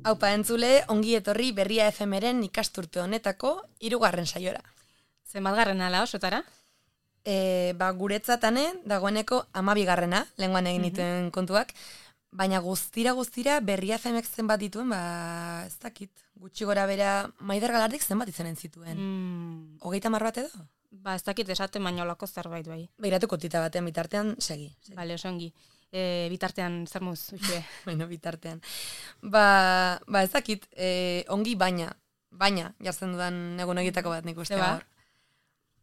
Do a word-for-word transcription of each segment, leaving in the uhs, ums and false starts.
Aupa entzule, ongi etorri Berria F Mren ikasturte honetako hirugarren saiora. Zenbatgarrena ala osotara? E, ba, guretzatane dagoeneko hamabigarrena, lehengoan egin dituen mm-hmm. kontuak, baina guztira guztira Berria F Mek zenbat dituen, ba, ez dakit, gutxi gora bera, Maider Galardik zenbat izanen zituen. Mm. Hogeita mar bat edo? Ba, ez dakit esaten baino olako zerbait bai. Begiratuko tita batean bitartean, segi. segi. Bale, oso ongi. E, bitartean, zer muz, uxue? bueno, bitartean. Ba, ba ez dakit, e, ongi baina, baina, jartzen dudan egun egitako bat nik uste gaur.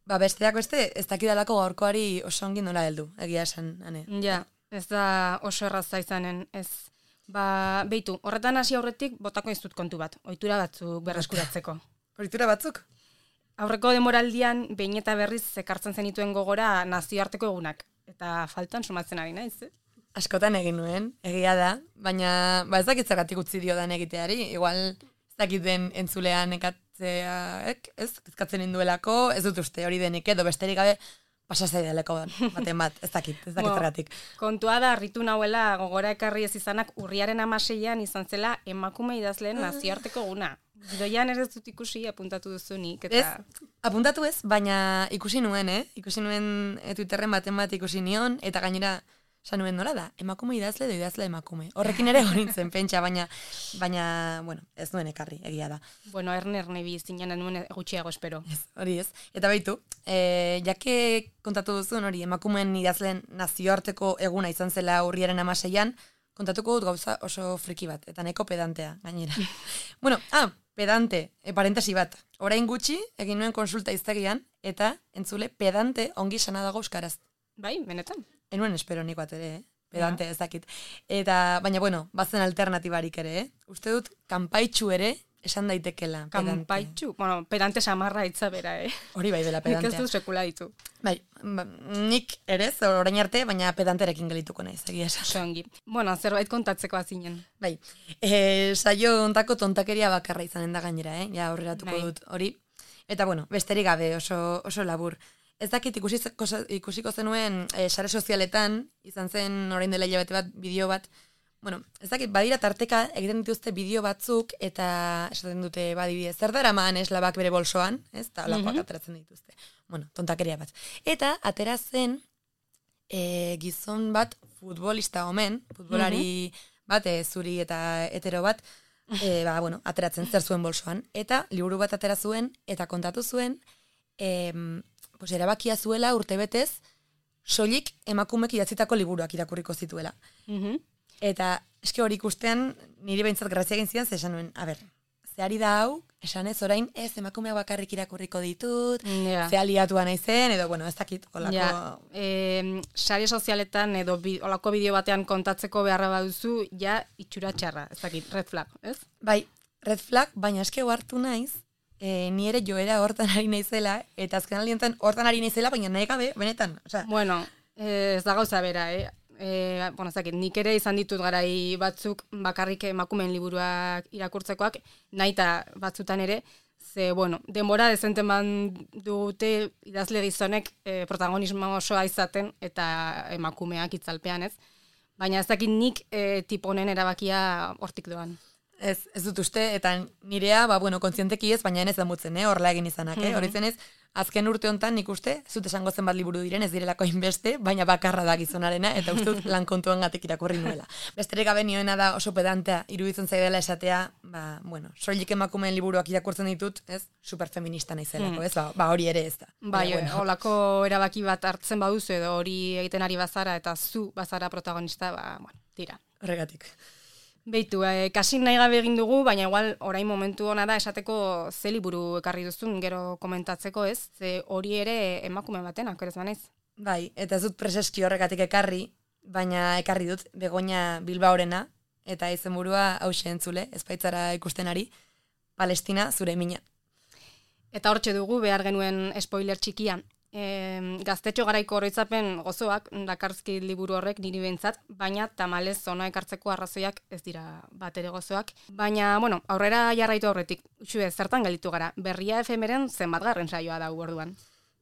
Ba, besteak beste, ez dakidalako gaurkoari oso ongi nola heldu, egia esan, ane. Ja, ez da oso erraza izanen, ez. Ba, beitu, horretan hasi aurretik botako izut kontu bat, ohitura batzuk berreskuratzeko. Ohitura batzuk? Aurreko demoraldian, behin eta berriz ekartzen zenituen gogora nazioarteko egunak. Eta faltan sumatzen ari naiz, eh? Askotan egin nuen, egia da, baina ba ez dakit zergatik utzi diodan egiteari, igual ez dakiten entzulean ekatzeak, ez, ezkatzen induelako, ez dut uste hori denik edo besterik gabe pasazai deleko baten bat, ez dakit, ez dakit zergatik. Kontua da, harritu nahuela gogora ekarri ez izanak urriaren amaseian izan zela emakume idazleen nazioarteko eguna. Gidoian ez dut ikusi apuntatu duzunik. Eta... Ez, apuntatu ez, baina ikusi nuen, eh? Ikusi nuen e, Twitterren baten bat ikusi nion, eta gainera, esan nuen nola da, emakume idazle edo idazle emakume. Horrekin ere horintzen pentsa, baina, baina, bueno, ez nuen ekarri, egia da. Bueno, erne erne biztinan nuen gutxiago espero. Ez, hori ez. Eta baitu, e, jake kontatu duzun hori, emakumeen idazleen nazioarteko eguna izan zela urriaren amaseian, kontatuko dut gauza oso friki bat, eta neko pedantea, gainera. bueno, ah, pedante, e, parentesi bat. Orain gutxi, egin nuen konsulta iztegian, eta entzule pedante ongi sana dago euskaraz. Bai, benetan. Enuen espero nik bat ere, eh? Pedante ja. Ez dakit. Eta, baina bueno, bazen alternatibarik ere, eh? Uste dut, kanpaitxu ere esan daitekela. Kanpaitxu? Bueno, pedante samarra hitza bera, eh? Hori bai dela pedantea. Nik ez dut sekula ditu. Bai, ba, nik ere, orain arte, baina pedanterekin gelituko naiz, egia esan. Songi. Bueno, zerbait kontatzeko azinen. Bai, e, saio ontako tontakeria bakarra izanen da gainera, eh? Ja, aurreratuko bai. Dut hori. Eta bueno, besterik gabe, oso, oso labur. Ez dakit ikusiko, ikusiko zenuen e, sare sozialetan, izan zen orain dela hilabete bat, bideo bat, bueno, ez dakit, badira tarteka egiten dituzte bideo batzuk, eta esaten dute badibide, zer dara maan eslabak bere bolsoan, ez, eta olakoak mm-hmm. ateratzen dituzte. Bueno, tontakeria bat. Eta atera zen e, gizon bat futbolista omen, futbolari mm-hmm. bat, e, zuri eta hetero bat, e, ba, bueno, ateratzen zer zuen bolsoan, eta liburu bat atera zuen, eta kontatu zuen, e, pues erabakia zuela urtebetez soilik emakumek idatzitako liburuak irakurriko zituela. Mm-hmm. Eta eske hori ikustean niri behintzat grazia egin zidan, ze esan nuen, a ber, ze ari da hau, esan ez orain ez emakumeak bakarrik irakurriko ditut, yeah. ze aliatua naizen, edo bueno, ez dakit, olako... Yeah. E, sare sozialetan edo bi, olako bideo batean kontatzeko beharra baduzu, ja itxura txarra, ez dakit, red flag, ez? Bai, red flag, baina eske hartu naiz, E, ni ere joera hortan ari naizela, eta azken alientan hortan ari naizela, baina nahi gabe, benetan. Osea. Bueno, ez da gauza bera, eh? E, bueno, zakit, nik ere izan ditut garai batzuk bakarrik emakumeen liburuak irakurtzekoak, naita batzutan ere, ze, bueno, denbora dezenten ban dute idazle gizonek e, protagonismo osoa izaten, eta emakumeak itzalpean, ez? Baina ez dakit nik e, tiponen erabakia hortik doan. Ez, ez dut uste, eta nirea, ba, bueno, kontzienteki ez, baina ez damutzen, eh, horrela egin izanak, eh? Horitzen ez, azken urte hontan nik uste, ez dut esango zenbat liburu diren, ez direlako inbeste, baina bakarra da gizonarena, eta uste dut lan kontuan gatik irakurri nuela. Besterik gabe nioena da oso pedantea, iruditzen zaidela esatea, ba, bueno, soilik emakumeen liburuak irakurtzen ditut, ez, superfeminista naizelako, ez, ba, ba hori ere ez da. Bai, bueno. Olako erabaki bat hartzen baduzu, edo hori egiten ari bazara, eta zu bazara protagonista, ba, bueno, tira. Horregatik. Beitu, eh, kasik nahi gabe egin dugu, baina igual orain momentu hona da esateko ze liburu ekarri duzun gero komentatzeko, ez? Ze hori ere emakume batenak, ez banaiz? Bai, eta ez dut preseski horregatik ekarri, baina ekarri dut Begoña Bilbaorena, eta izenburua hauxe entzule, ezpaitzara ikusten ari, Palestina zure mina. Eta hortxe dugu behar genuen spoiler txikia. E, gaztetxo garaiko oroitzapen gozoak dakarzki liburu horrek niri behintzat, baina tamalez zona ekartzeko arrazoiak ez dira bat ere gozoak. Baina, bueno, aurrera jarraitu aurretik, utxue, zertan gelditu gara, Berria F Mren zenbatgarren saioa da orduan.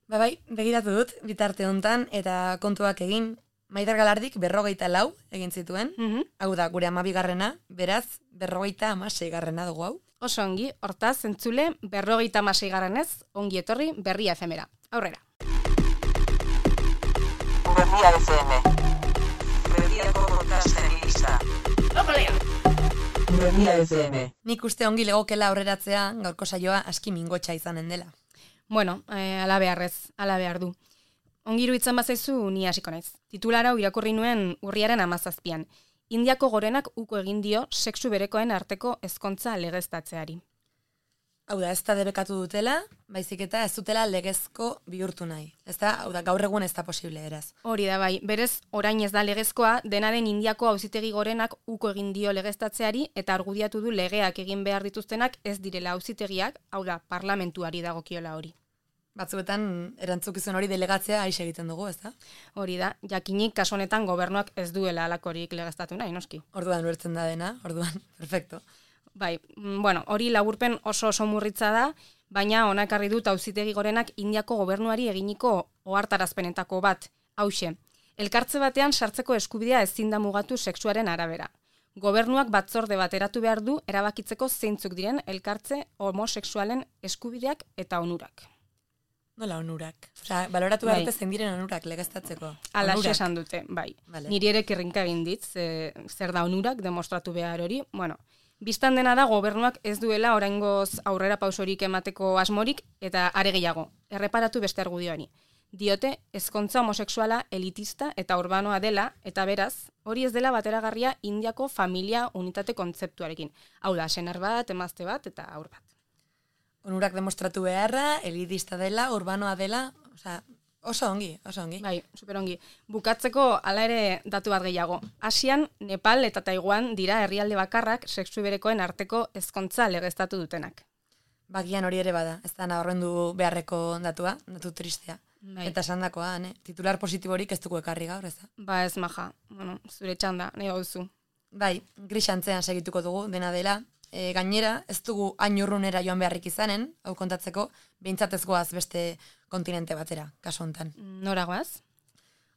Ba bai, begiratu dut, bitarte hontan, eta kontuak egin, Maider Galardik berrogeita lau egin zituen, Mhm. hau da, gure amabigarrena, beraz, berrogeita amaseigarrena dugu hau. Oso ongi, hortaz, entzule, berrogeita amaseigarrenez, ongi etorri berria efemera. Aurrera. Berria F M. Berriako podcastari gisa. Berria F M. Nik uste ongi legokela aurreratzea gaurko saioa aski mingotxa izanen dela. Bueno, eh, ala beharrez, ala behar du. Ongi iruditzen bazaizu ni hasiko naiz. Titulara hau irakurri nuen urriaren hamazazpian. Indiako gorenak uko egin dio sexu berekoen arteko ezkontza legeztatzeari. Hau da, ez da debekatu dutela, baizik eta ez dutela legezko bihurtu nahi. Ez da, hau da, gaur egun ez da posible, eraz. Hori da bai, berez orain ez da legezkoa, dena den Indiako auzitegi gorenak uko egin dio legeztatzeari eta argudiatu du legeak egin behar dituztenak ez direla auzitegiak, hau da, parlamentuari dagokiola hori. Batzuetan erantzukizun hori delegatzea aixe egiten dugu, ez da? Hori da, jakinik kasu honetan gobernuak ez duela alakorik legeztatu nahi, noski. Orduan ulertzen da dena, orduan, perfecto. Bai, mm, bueno, hori laburpen oso oso murritza da, baina onakarri dut auzitegi gorenak Indiako gobernuari eginiko ohartarazpenetako bat, hauxe. Elkartze batean sartzeko eskubidea ezin da mugatu sexuaren arabera. Gobernuak batzorde bat eratu behar du erabakitzeko zeintzuk diren elkartze homosexualen eskubideak eta onurak. Nola onurak? Osea, baloratu behar Bai. dute zein diren onurak legeztatzeko. Ala Onurak. esan dute, bai. Vale. Niri ere kirrinka egin dit, ze, zer da onurak demostratu behar hori. Bueno, biztan dena da gobernuak ez duela oraingoz aurrera pausorik emateko asmorik eta are gehiago. Erreparatu beste argudioari. Diote ezkontza homosexuala elitista eta urbanoa dela eta beraz, hori ez dela bateragarria Indiako familia unitate kontzeptuarekin. Hau da, senar bat, emazte bat eta haur bat. Onurak demostratu beharra, elitista dela, urbanoa dela, osea, oso ongi, oso ongi. Bai, superongi. Bukatzeko hala ere datu bat gehiago. Asian, Nepal eta Taiwan dira herrialde bakarrak sexu berekoen arteko ezkontza legeztatu dutenak. Bagian hori ere bada, ez da nabarrendu beharreko datua, datu tristea. Bai. Eta esandakoa, ne? Titular positiborik ez dugu ekarri gaur, ez da? Ba ez maja, bueno, zure txanda, nahi gauzu. Bai, grisantzean segituko dugu, dena dela. E, gainera, ez dugu hain urrunera joan beharrik izanen, hau kontatzeko, behintzat ez goaz beste kontinente batera, kasu honetan. Noragoaz?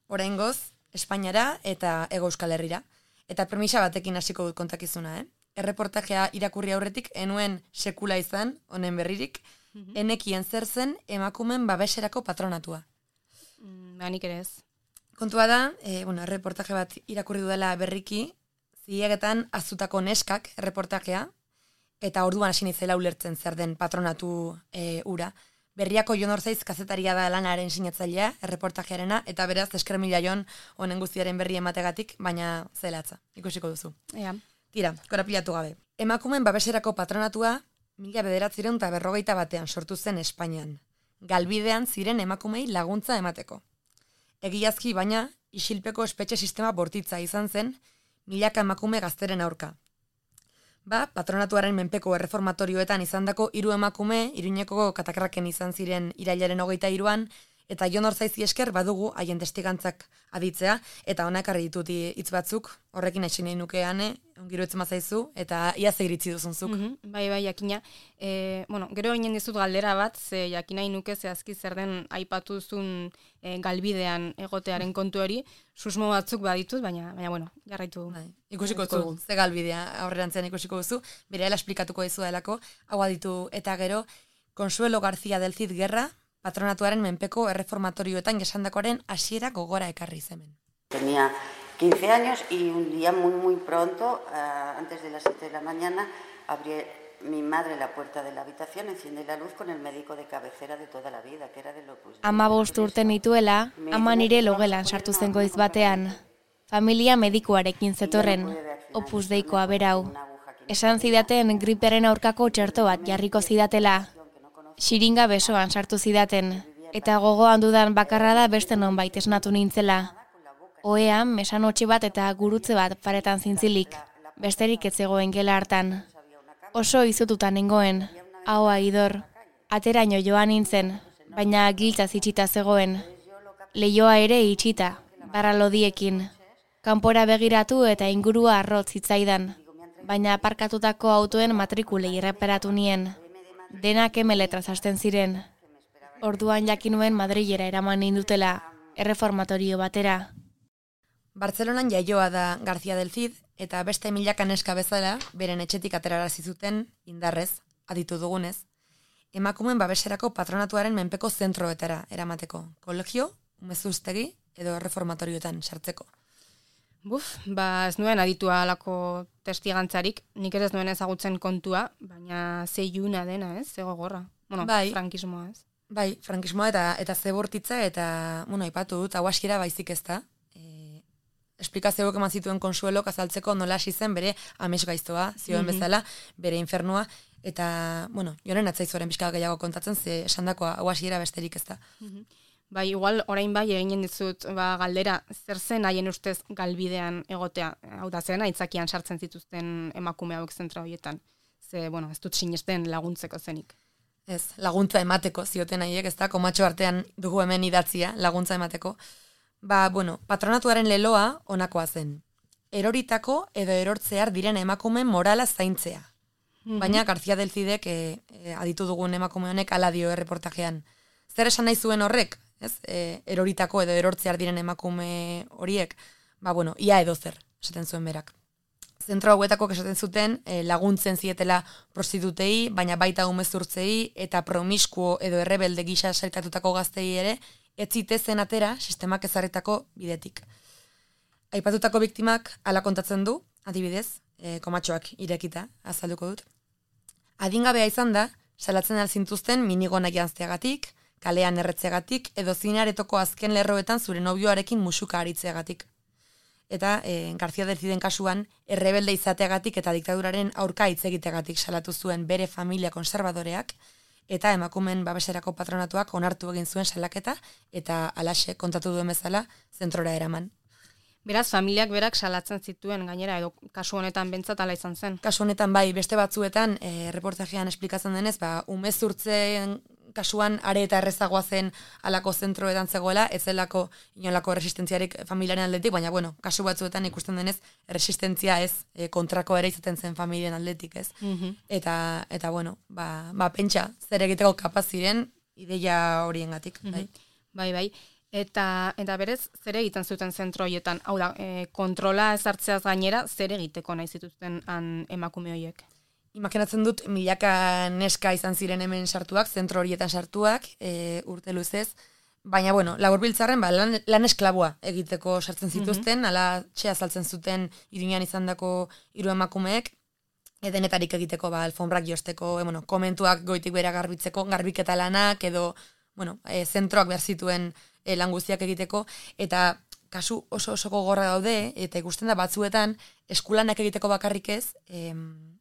Oraingoz, Espainiara eta Hego Euskal Herrira. Eta premisa batekin hasiko dut kontakizuna, eh? Erreportajea irakurri aurretik enuen sekula izan, honen berririk, enekien zer zen emakumen babeserako patronatua. Mm, ba, nik ere ez. Kontua da, e, bueno, erreportaje bat irakurri dudala berriki, ziegetan azutako neskak erreportajea, eta orduan hasi nintzela ulertzen zer den patronatu e, ura. Berriako Jon Orzaiz kazetaria da lanaren sinatzailea, erreportajearena, eta beraz eskremila Jon honen guztiaren berri emategatik, baina zelatza, ikusiko duzu. Ea. Tira, korapilatu gabe. Emakumen babeserako patronatua mila bederatziehun eta berrogeita batean sortu zen Espainian. Galbidean ziren emakumei laguntza emateko. Egiazki baina, isilpeko espetxe sistema bortitza izan zen, milaka emakume gazteren aurka. Ba, patronatuaren menpeko erreformatorioetan izandako hiru emakume, Iruñeko katakraken izan ziren irailaren hogeita hiruan, eta Jon Orzaizi esker badugu haien testigantzak aditzea, eta honak argi ditut hitz batzuk, horrekin hasi nahi nukeane, ongiru etzen mazaizu, eta ia ze iritzi duzunzuk. Mhm, bai, bai, jakina. E, bueno, gero eginen dizut galdera bat, ze jakinai nuke zehazki zer den aipatu zuen e, galbidean egotearen kontu hori, susmo batzuk baditut, baina, baina bueno, jarraitu. Bai, ikusiko jarraituko duzu, dugu. ze galbidea aurrerantzean ikusiko duzu, berehala esplikatuko dizu delako, hau aditu eta gero, Consuelo García del Cid Guerra, patronatuaren menpeko erreformatorioetan jasandakoaren hasiera gogora ekarri zemen. Tenía quince años y un día muy muy pronto, uh, antes de las siete de la mañana, abrí mi madre la puerta de la habitación, enciende la luz con el médico de cabecera de toda la vida, que era de Opus Dei. Amabost urte nituela, ama nire logelan sartu zen goiz batean. Familia medikuarekin zetorren, Opus Deikoa berau. Esan zidaten gripearen aurkako txerto bat jarriko zidatela. Xiringa besoan sartu zidaten, eta gogoan dudan bakarra da beste nonbait esnatu nintzela. Oean, mesanotxe bat eta gurutze bat paretan zintzilik, besterik ez zegoen gela hartan. Oso izututan nengoen, ahoa idor, ateraino joan nintzen, baina giltza itxita zegoen. Leioa ere itxita, barra lodiekin. Kanpora begiratu eta ingurua arrotz zitzaidan, baina aparkatutako autoen matrikulei erreparatu nien. Denak emeletraz hasten ziren. Orduan jakinuen Madrilera eraman nindutela, erreformatorio batera. Bartzelonan jaioa da García del Cid, eta beste milaka neska bezala, beren etxetik aterarazi zuten, indarrez, aditu dugunez, emakumen babeserako patronatuaren menpeko zentroetara eramateko, kolegio, umezuztegi edo erreformatorioetan sartzeko. Buf, ba ez nuen aditua alako testigantzarik, nik ere ez nuen ezagutzen kontua, baina ze iluna dena, ez, ze gogorra. Bueno, bai, frankismoa, ez? Bai, frankismoa eta eta ze bortitza eta, bueno, aipatu dut, hau hasiera baizik ez da. E, esplikazioak eman zituen Konsuelok azaltzeko nola hasi zen bere amets gaiztoa, zioen Mhm. bezala, bere infernua, eta, bueno, joren atzaizoren pixka gehiago kontatzen, ze esandakoa hau hasiera besterik ez da. Bai, igual orain bai eginen dizut ba, galdera, zer zen haien ustez galbidean egotea, hau da zen, aitzakian sartzen zituzten emakume hauek zentra horietan. Ze, bueno, ez dut sinesten laguntzeko zenik. Ez, laguntza emateko zioten haiek, ez da, komatxo artean dugu hemen idatzia, laguntza emateko. Ba, bueno, patronatuaren leloa honakoa zen. Eroritako edo erortzear diren emakume morala zaintzea. Baina García del Cidek e, e, aditu dugun emakume honek hala dio erreportajean. Zer esan nahi zuen horrek? Ez? E, eroritako edo erortzear diren emakume horiek, ba, bueno, ia edo zer, esaten zuen berak. Zentro hauetako esaten zuten e, laguntzen zietela prostitutei, baina baita umezurtzei eta promiskuo edo errebelde gisa sailkatutako gaztei ere, ez zitezen atera sistemak ezarritako bidetik. Aipatutako biktimak hala kontatzen du, adibidez, e, komatxoak irekita, azalduko dut. Adingabea izan da, salatzen alzintuzten minigona janzteagatik, kalean erretzeagatik, edo zinaretoko azken lerroetan zure nobioarekin musuka aritzeagatik. Eta e, García del Ciden kasuan, errebelde izateagatik eta diktaduraren aurka hitz egiteagatik salatu zuen bere familia konservadoreak, eta emakumen babeserako patronatuak onartu egin zuen salaketa, eta alaxe kontatu duen bezala zentrora eraman. Beraz, familiak berak salatzen zituen gainera, edo kasu honetan bentsat ala izan zen. Kasu honetan bai, beste batzuetan, e, reportajean esplikatzen denez, ba, umezurtzen kasuan are eta errezagoa zen alako zentroetan zegoela, ez zelako inolako resistentziarik familiaren aldetik, baina bueno, kasu batzuetan ikusten denez, resistentzia ez, e, kontrako ere izaten zen familiaren aldetik, ez. Mhm. Eta, eta bueno, ba, ba pentsa, zer egiteko kapaz ziren ideia horiengatik, bai. Bai, bai. Eta, eta berez, zer egiten zuten zentro horietan? Hau da, e, kontrola ezartzeaz gainera, zer egiteko nahi zituzten han emakume horiek? Imaginatzen dut, milaka neska izan ziren hemen sartuak, zentro horietan sartuak, e, urte luzez, baina, bueno, laburbiltzarren, ba, lan, lan esklaboa egiteko sartzen zituzten, mm-hmm. ala txea saltzen zuten iruñan izandako hiru emakumeek, edenetarik egiteko, ba, alfombrak josteko, e, bueno, komentuak goitik bera garbitzeko, garbiketa lanak, edo, bueno, e, zentroak behar zituen e, lan guztiak egiteko, eta kasu oso oso gogorra daude, eta ikusten da batzuetan, eskulanak egiteko bakarrik ez, em,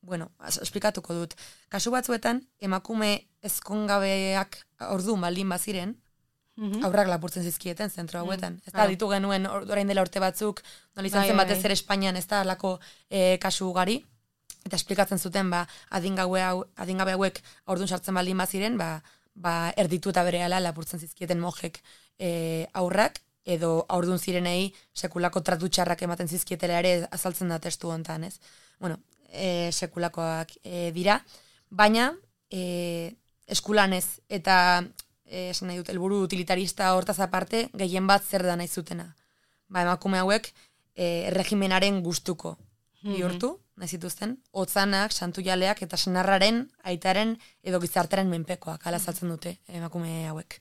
bueno, esplikatuko dut. Kasu batzuetan, emakume ezkongabeak ordu baldin baziren, Mhm. aurrak lapurtzen zizkieten zentro hauetan. Ez da, claro. ditu genuen or- orain dela urte batzuk, nola izan Bai, zen bai, batez bai. ere Espainian ez da alako e, kasu ugari, eta esplikatzen zuten, ba, adingabe, hau, adingabe hauek aurdun sartzen baldin baziren, ba, ba, erditu eta berehala lapurtzen zizkieten mojek e, aurrak, edo aurdun zirenei sekulako tratu txarrak ematen zizkietela ere azaltzen da testu hontan, ez? Bueno, e, sekulakoak e, dira, baina e, eskulanez eta e, esan nahi dut, helburu utilitarista hortaz aparte, gehien bat zer da nahi zutena. Ba, emakume hauek e, regimenaren gustuko bihurtu, nahi zituzten, hotzanak, santujaleak eta senarraren, aitaren edo gizartaren menpekoak, ala saltzen dute emakume hauek.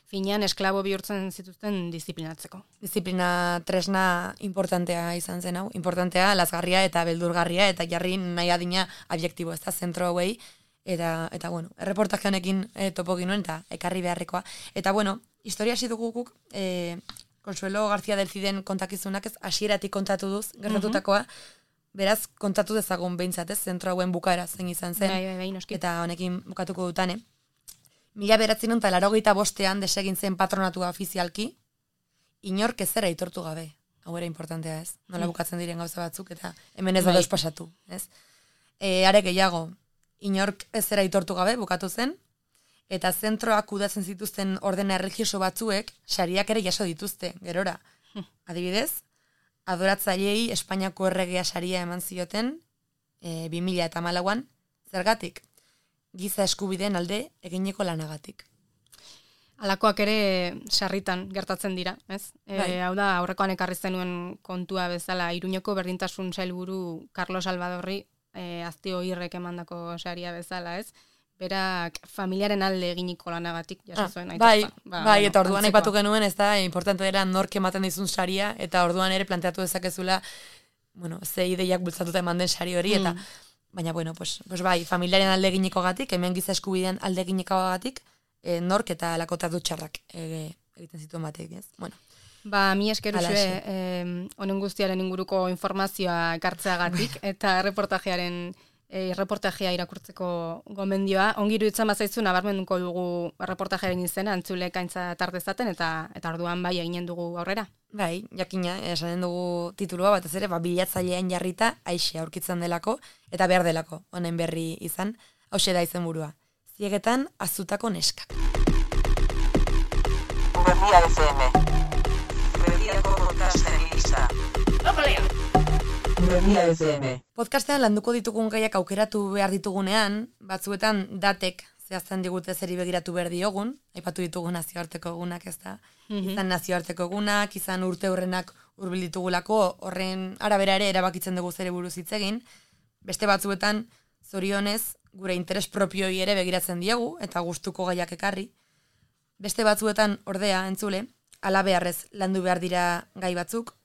Finean esklabo bihurtzen zituzten disiplinatzeko. Disiplina tresna importantea izan zen hau, importantea, lazgarria eta beldurgarria, eta jarri nahi adina abiektibo, ez da, zentro hauei, eta, eta bueno, erreportaje honekin e, topo ginuen, eta ekarri beharrekoa. Eta bueno, historia hasi dugu guk, e, Consuelo García del Ciden kontakizunak ez, hasieratik kontatu duz, gertatutakoa, beraz, kontatu dezagun behintzat, ez, zentro hauen bukaera zen izan zen, Bai, bai, bai, noski. eta honekin bukatuko dutane. Mila beratzen eta laurogeita bostean desegin zen patronatua ofizialki, inork ezera aitortu gabe. Hau ere importantea, ez? Nola bukatzen diren gauza batzuk, eta hemen ez da Bai. deus pasatu, ez? E, are gehiago, inork ezera aitortu gabe bukatu zen, eta zentroak kudatzen zituzten ordena erregioso batzuek, sariak ere jaso dituzte, gerora. Adibidez, adoratzaileei Espainiako erregea saria eman zioten, e, bi mila eta hamalauan, zergatik? Giza eskubideen alde egineko lanagatik. Alakoak ere sarritan gertatzen dira, ez? E, hau da, aurrekoan ekarri zenuen kontua bezala, Iruñeko berdintasun sailburu Carlos Salvadorri e, aztio irrek emandako saria bezala, ez? Berak familiaren alde eginiko lanagatik jaso zuen. Ah, bai, ba, bai bueno, eta orduan aipatu genuen, ez da, importante dela nork ematen dizun saria, eta orduan ere planteatu dezakezula, bueno, ze ideiak bultzatuta eman den sari hori, eta, mm. baina, bueno, pues, pues bai, familiaren alde eginiko gatik, hemen giza eskubidean alde eginiko gatik, e, nork eta lakota dutxarrak e, egiten zituen batek, ez? Bueno. Ba, mi eskeru zue, honen guztiaren inguruko informazioa ekartzeagatik, eta reportajearen E, reportajea irakurtzeko gomendioa. Ongi iruditzen bazaizu nabarmenduko dugu reportajearen izena, antzulek aintza tartezaten, eta eta orduan bai eginen dugu aurrera. Bai, jakina, esanen dugu titulua, batez ere, ba, bilatzailean jarrita aixe aurkitzen delako, eta behar delako, honen berri izan, hauxe da izen burua. Ziegetan, azutako neskak. Berria F M. Berriako podcastari gisa. Berria F M. Podcastean landuko ditugun gaiak aukeratu behar ditugunean, batzuetan datek zehazten digute zeri begiratu behar diogun, aipatu ditugu nazioarteko egunak, ez da? Mm-hmm. Izan nazioarteko egunak, izan urte hurrenak hurbil ditugulako, horren arabera ere erabakitzen dugu zere buruz hitz egin. Beste batzuetan, zorionez, gure interes propioi ere begiratzen diegu, eta gustuko gaiak ekarri. Beste batzuetan, ordea, entzule, halabeharrez landu behar dira gai batzuk,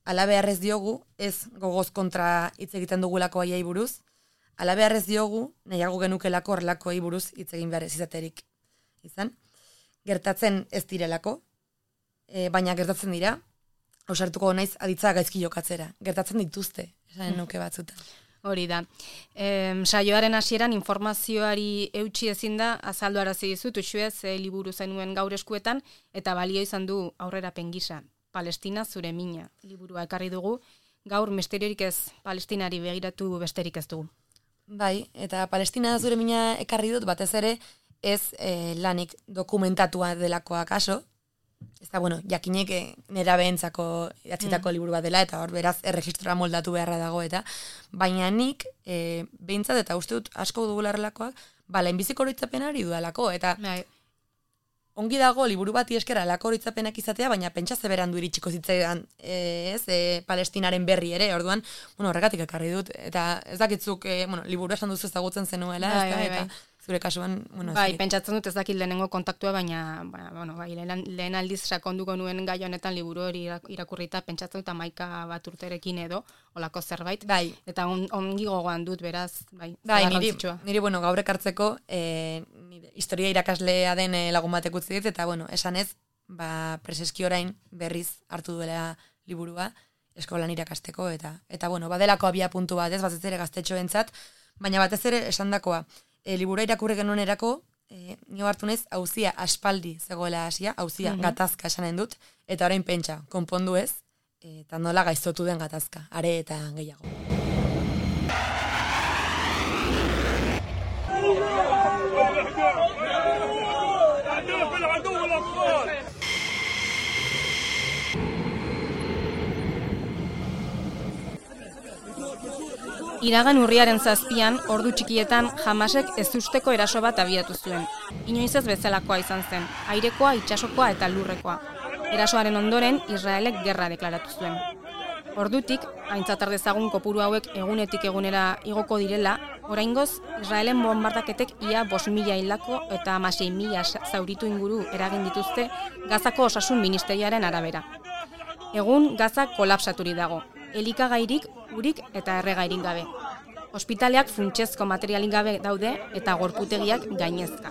halabeharrez diogu, ez gogoz kontra hitz egiten dugulako aiai buruz, halabeharrez diogu, nahiago genukelako horrelako aiai buruz hitz egin behar ez izaterik. Izan? Gertatzen ez direlako, e, baina gertatzen dira, ausartuko naiz aditza gaizki jokatzera. Gertatzen dituzte, esanen nuke batzutan. Hori da. E, saioaren hasieran informazioari eutxi ezin da, azaldu arazi dizut, uxuez, e, liburu zenuen gaur eskuetan, eta balio izan du aurrera pengisa. Palestina zure mina liburua ekarri dugu, gaur misteriorik ez Palestinari begiratu besterik ez dugu. Bai, eta Palestina zure mina ekarri dut, batez ere ez e, lanik dokumentatua delakoa kaso, ez da, bueno, jakinek nera behentzako idatzitako mm. liburu bat dela, eta hor beraz erregistrora moldatu beharra dago, eta baina nik e, behintzat eta uste dut asko dugularrelakoak, ba, lehenbiziko horitzapenari dudalako, eta bai. Ongi dago liburu bati eskera alako horitzapenak izatea, baina pentsa zeberan du iritsiko zitzaidan e, ez, e, Palestinaren berri ere, orduan, bueno, horregatik ekarri dut, eta ez dakitzuk, e, bueno, liburu esan duzu ezagutzen zenuela, bai, ez da, bai, bai. Eta zure kasuan, bueno, bai, pentsatzen dut ez dakit lehenengo kontaktua, baina, bueno, bai, lehen, lehen aldiz sakonduko nuen gai honetan liburu hori irakurrita, pentsatzen dut amaika bat urterekin edo, olako zerbait, bai. Eta on, ongi gogoan dut, beraz, bai, bai niri, niri, bueno, gaur ekartzeko, e, nire, historia irakaslea den e, lagun batek utzi dit, eta, bueno, esan ez, ba, preseski orain berriz hartu duela liburua, eskolan irakasteko, eta, eta bueno, badelako abia puntu bat, ez, batez ere gaztetxoentzat, baina batez ere esandakoa, E, libura irakurri genuen erako, e, nio hartu naiz, hauzia aspaldi zegoela hasia, hauzia mm-hmm. gatazka esanen dut, eta orain pentsa, konpondu ez, eta nola gaiztotu den gatazka, are eta gehiago. Iragan urriaren zazpian, ordu txikietan, Hamasek ezusteko eraso bat abiatu zuen. Inoiz ez bezalakoa izan zen, airekoa, itsasokoa eta lurrekoa. Erasoaren ondoren, Israelek gerra deklaratu zuen. Ordutik, aintzat har dezagun kopuru hauek egunetik egunera igoko direla, oraingoz, Israelen bonbardaketek ia bost mila hildako eta hamasei mila zauritu inguru eragin dituzte Gazako osasun ministerioaren arabera. Egun, Gaza kolapsaturi dago. Elikagairik, urik eta erregairik gabe. Ospitaleak funtsezko materialik gabe daude eta gorputegiak gainezka.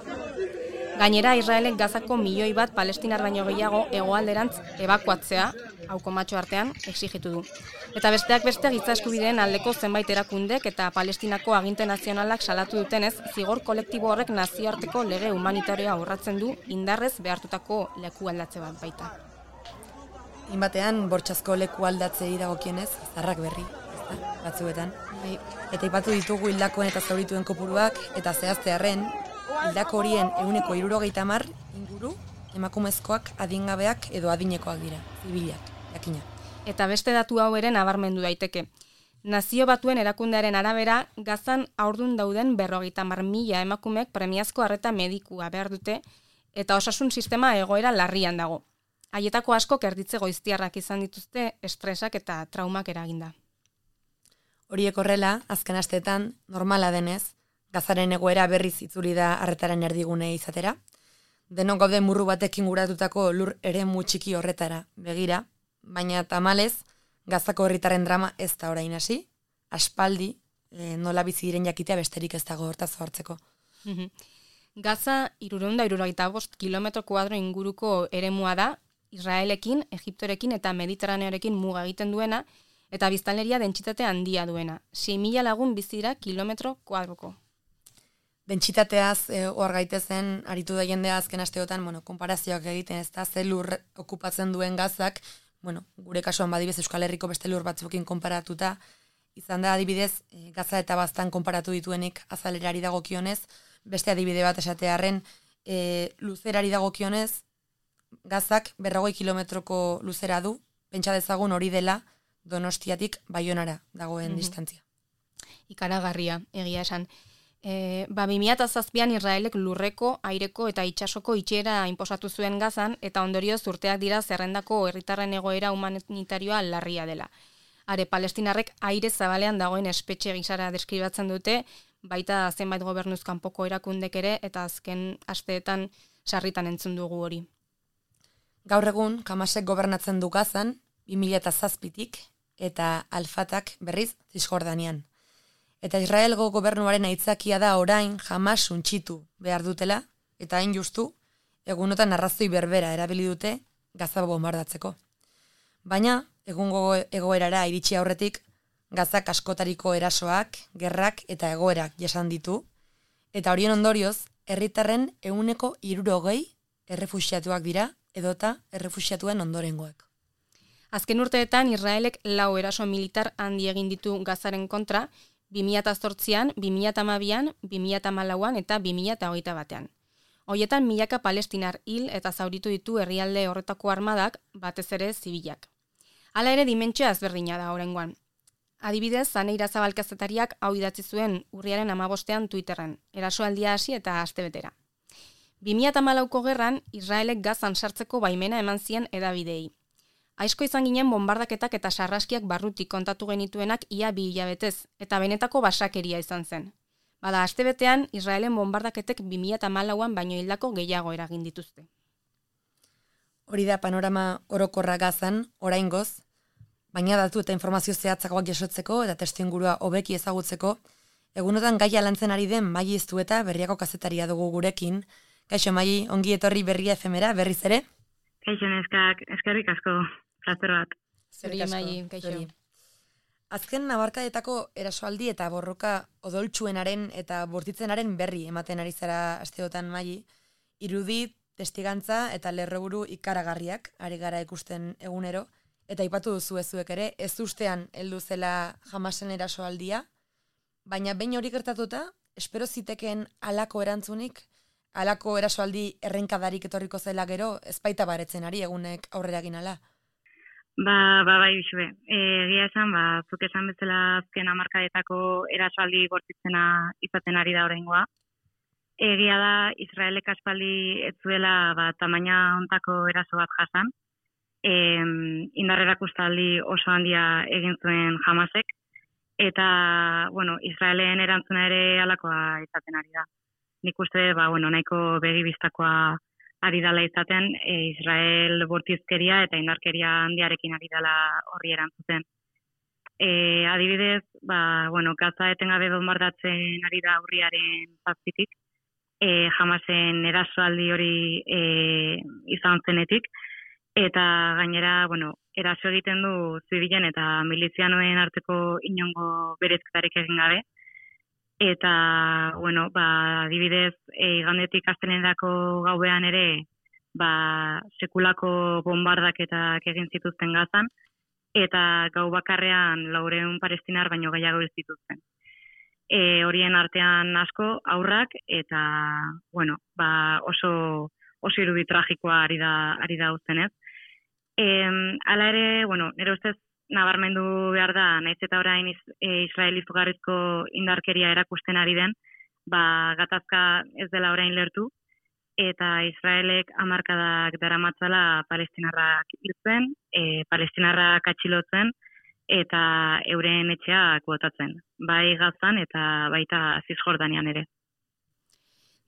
Gainera, Israelek Gazako milioi bat palestinar baino gehiago hegoalderantz ebakuatzea, hauko matxo artean, exigitu du. Eta besteak beste giza eskubideen aldeko zenbait erakundek eta Palestinako aginte nazionalak salatu dutenez, zigor kolektibo horrek nazioarteko lege humanitarioa urratzen du indarrez behartutako leku aldatze bat baita. Inbatean, bortxazko leku aldatzei dagokienez, zarrak berri, ez da, batzuetan. Bai. Eta ipatu ditugu hildakoen eta zaurituen kopuruak, eta zehaztearren, hildako horien ehuneko hirurogeita hamar inguru, emakumezkoak, adingabeak edo adinekoak dira, zibilak, jakina. Eta beste datu hau ere nabarmendu daiteke. Nazio Batuen erakundearen arabera, Gazan haurdun dauden berrogeita hamar mila emakumeek premiazko arreta medikua behar dute, eta osasun sistema egoera larrian dago. Haietako askok erditze goiztiarrak izan dituzte estresak eta traumak eraginda. Horiek horrela, azken asteetan, normala denez, Gazaren egoera berriz itzuli da arretaren erdigune izatera. Denok gaude murru batekin guratutako lur eremu txiki horretara begira, baina tamalez, Gazako herritarren drama ez da orain hasi, aspaldi, e, nola bizi diren jakitea besterik ez dago hortaz hartzeko. Gaza hirurehun eta hirurogeita bost kilometro kuadro inguruko eremua da, Israelekin, Egiptorekin eta Mediterraneorekin muga egiten duena, eta biztanleria dentsitate handia duena. sei mila lagun bizi dira kilometro kuadroko. Dentsitateaz e, hor gaitezen aritu da jendea azken asteotan, bueno, konparazioak egiten, ez da, ze lur okupatzen duen Gazak, bueno, gure kasuan badibez Euskal Herriko beste lur batzuekin konparatuta, izan da adibidez, e, Gaza eta Baztan konparatu dituenik azalerari dagokionez, beste adibide bat esatearren, e, luzerari dagokionez, Gazak berrogei kilometroko luzera du, pentsa dezagun hori dela Donostiatik Baionara dagoen mm-hmm. distantzia. Ikaragarria, egia esan. E, ba, bi mila zazpian Israelek lurreko, aireko eta itsasoko itxiera inposatu zuen Gazan, eta ondorioz urteak dira zerrendako herritarren egoera humanitarioa larria dela. Are, palestinarrek aire zabalean dagoen espetxe gisara deskribatzen dute, baita zenbait gobernuz kanpoko erakundek ere, eta azken asteetan sarritan entzun dugu hori. Gaur egun, Hamasek gobernatzen du Gazan, bi mila zazpitik, eta Al-Fatak berriz Zisjordanian. Eta Israelgo gobernuaren aitzakia da orain Hamas suntxitu behar dutela, eta hain justu, egunotan arrazoi berbera erabili dute Gaza bombardatzeko. Baina, egungo egoerara iritsi aurretik, Gazak askotariko erasoak, gerrak eta egoerak jasan ditu, eta horien ondorioz, herritarren ehuneko hirurogei errefuxiatuak dira, edota errefuxiatuen ondorengoek. Azken urteetan Israelek lau eraso militar handi egin ditu Gazaren kontra, bi mila zortzian, bi mila hamabian, bi mila hamalauan eta bi mila hogeita batean. Hoietan milaka palestinar hil eta zauritu ditu herrialde horretako armadak, batez ere zibilak. Hala ere dimentsioa ezberdina da oraingoan. Adibidez, Zane Irazabal kazetariak hau idatzi zuen urriaren hamabostean Twitterren, erasoaldia hasi eta astebetera. bi mila hamalauko gerran, Israelek Gazan sartzeko baimena eman zien hedabideei. Aizko izan ginen bombardaketak eta sarraskiak barrutik kontatu genituenak ia bi hilabetez, eta benetako basakeria izan zen. Bada, astebetean, Israelen bombardaketek bi mila hamalauan baino hildako gehiago eragin dituzte. Hori da panorama orokorra Gazan, oraingoz, baina datu eta informazio zehatzagoak jasotzeko eta testuingurua hobeki ezagutzeko, egunotan gaia lantzen ari den Maili Iztueta berriako kazetaria dugu gurekin. Kaixo Maili, ongi etorri Berria efemera, berriz ere? Kaixo neskak, eskerrik asko, plazer bat. Zeri Maili, kaixo. Azken nabarkadetako erasoaldi eta borroka odoltsuenaren eta bortitzenaren berri ematen ari zara asteotan Maili, irudi, testigantza eta lerroburu ikaragarriak ari gara ikusten egunero, eta aipatu duzu ezuek ere, ez ustean heldu zela Hamasen erasoaldia, baina behin hori gertatuta, espero zitekeen halako erantzunik, halako erasoaldi errenkadarik etorriko zela gero, ezpaita baretzen ari egunek aurrera ginala. Ba, ba, bai, bisue. Egia esan, ba, zuk esan bezala azken hamarkadetako erasoaldi bortitzena izaten ari da oraingoa. Egia da, Israelek aspaldi ez zuela ba, tamaina hontako eraso bat jasan. E, indarrerakustaldi oso handia egin zuen Hamasek, eta, bueno, Israelen erantzuna ere halakoa izaten ari da. Nik uste, ba, bueno, nahiko begibistakoa ari dela izaten, e, Israel bortizkeria eta indarkeria handiarekin ari dela horri erantzuten. E, adibidez, ba, bueno, Gaza etengabe bombardatzen ari da urriaren zazpitik, e, Hamasen erasoaldi hori e, izan zenetik, eta gainera, bueno, eraso egiten du zibilen eta milizianoen arteko inongo berezketarik egin gabe. Eta, bueno, ba, adibidez, e, igandetik astelehenerako gauean ere, ba, sekulako bombardaketak egin zituzten Gazan, eta gau bakarrean laureun palestinar baino gehiago ez zituzten. E, horien artean asko aurrak, eta, bueno, ba, oso, oso irudi tragikoa ari da, ari da uztenez. E, hala ere, bueno, nire ustez, nabarmendu behar da, naiz eta orain Israel izugarrizko indarkeria erakusten ari den, ba, gatazka ez dela orain lertu, eta Israelek hamarkadak daramatzala palestinarrak hiltzen, e, palestinarrak atxilotzen, eta euren etxeak botatzen, bai Gazan eta baita Zisjordanian ere.